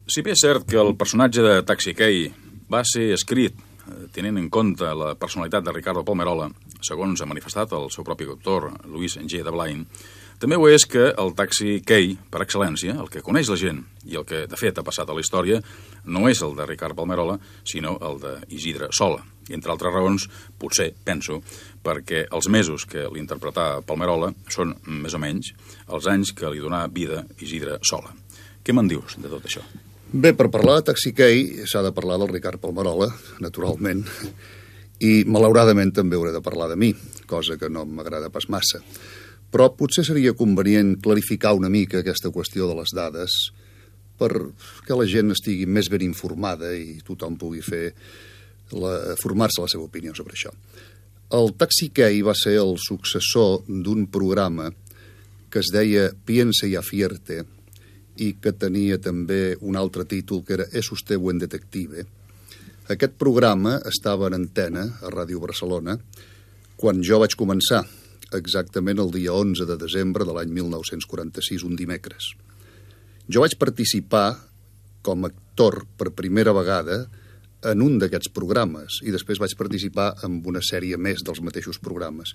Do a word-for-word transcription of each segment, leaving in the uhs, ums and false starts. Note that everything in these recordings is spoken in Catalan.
Si bé és cert que el personatge de Taxi Key va ser escrit tenint en compte la personalitat de Ricardo Palmerola, segons ha manifestat el seu propi autor, Louis G. de Blain, també ho és que el Taxi Key, per excel·lència, el que coneix la gent i el que, de fet, ha passat a la història, no és el de Ricard Palmerola, sinó el d'Isidre Sola. I, entre altres raons, potser, penso, perquè els mesos que l'interpretà Palmerola són, més o menys, els anys que li donà vida Isidre Sola. Què me'n dius de tot això? Bé, per parlar de Taxi Key s'ha de parlar del Ricard Palmerola, naturalment, i malauradament també hauré de parlar de mi, cosa que no m'agrada pas massa. Però potser seria convenient clarificar una mica aquesta qüestió de les dades perquè la gent estigui més ben informada i tothom pugui fer la, formar-se la seva opinió sobre això. El Taxi Key va ser el successor d'un programa que es deia Piense y afierte i que tenia també un altre títol que era Es usted buen detective. Aquest programa estava en antena a Ràdio Barcelona quan jo vaig començar, exactament el dia onze de desembre de l'any mil nou-cents quaranta-sis, un dimecres. Jo vaig participar com a actor per primera vegada en un d'aquests programes i després vaig participar en una sèrie més dels mateixos programes.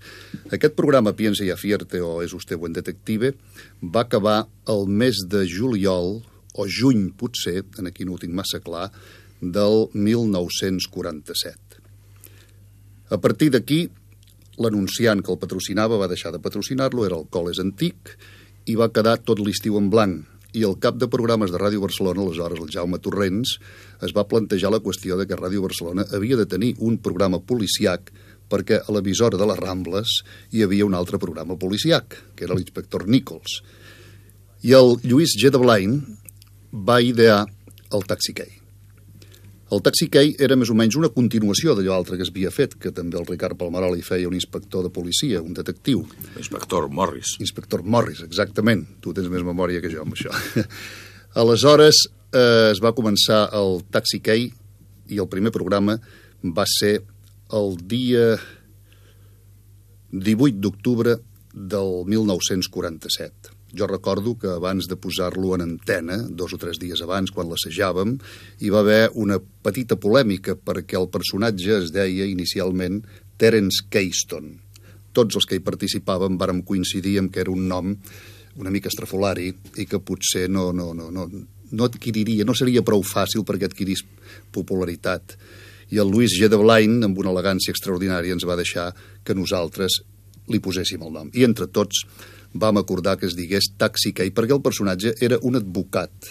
Aquest programa Piense y afierte o Es usted buen detective va acabar el mes de juliol o juny potser, en aquí no ho tinc massa clar, del mil nou-cents quaranta-set. A partir d'aquí, l'anunciant que el patrocinava va deixar de patrocinar-lo, era el Coles Antic, i va quedar tot l'estiu en blanc. I el cap de programes de Ràdio Barcelona, aleshores el Jaume Torrents, es va plantejar la qüestió de que Ràdio Barcelona havia de tenir un programa policiac perquè a l'emissora de les Rambles hi havia un altre programa policiac, que era l'inspector Nichols. I el Lluís G. de Blain va idear el Taxi Key. El Taxi Key era més o menys una continuació d'allò altre que es havia fet, que també el Ricard Palmerola hi feia un inspector de policia, un detectiu. Inspector Morris. Inspector Morris, exactament. Tu tens més memòria que jo amb això. Aleshores eh, es va començar el Taxi Key i el primer programa va ser el dia divuit d'octubre del mil nou-cents quaranta-set. Jo recordo que abans de posar-lo en antena, dos o tres dies abans, quan l'assajàvem, hi va haver una petita polèmica perquè el personatge es deia inicialment Terence Keyston. Tots els que hi participàvem vàrem coincidir en que era un nom una mica estrafolari i que potser no, no, no, no, no adquiriria, no seria prou fàcil perquè adquirís popularitat. I el Louis G. de Blain, amb una elegància extraordinària, ens va deixar que nosaltres li poséssim el nom. I entre tots vam acordar que es digués Taxi Key perquè el personatge era un advocat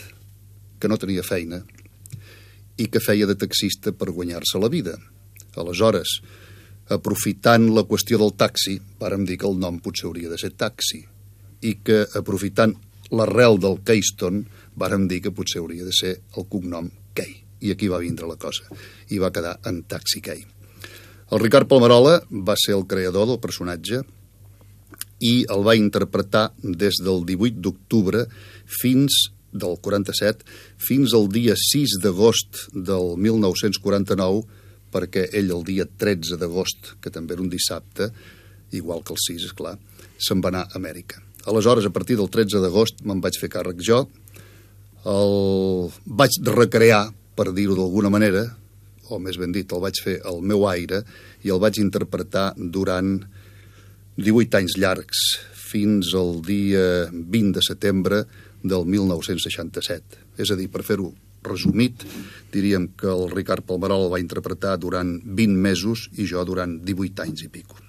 que no tenia feina i que feia de taxista per guanyar-se la vida. Aleshores, aprofitant la qüestió del taxi, vàrem dir que el nom potser hauria de ser Taxi i que, aprofitant l'arrel del Keyston, vàrem dir que potser hauria de ser el cognom Key. I aquí va vindre la cosa. I va quedar en Taxi Key. El Ricard Palmerola va ser el creador del personatge i el va interpretar des del divuit d'octubre fins del quaranta-set fins al dia sis d'agost del mil nou-cents quaranta-nou, perquè ell el dia tretze d'agost, que també era un dissabte, igual que el sis, esclar, se'n va anar a Amèrica. Aleshores, a partir del tretze d'agost, me'n vaig fer càrrec jo, el vaig recrear, per dir-ho d'alguna manera, o més ben dit, el vaig fer al meu aire, i el vaig interpretar durant divuit anys llargs, fins al dia vint de setembre del mil nou-cents seixanta-set. És a dir, per fer-ho resumit, diríem que el Ricard Palmerola el va interpretar durant vint mesos i jo durant divuit anys i pico.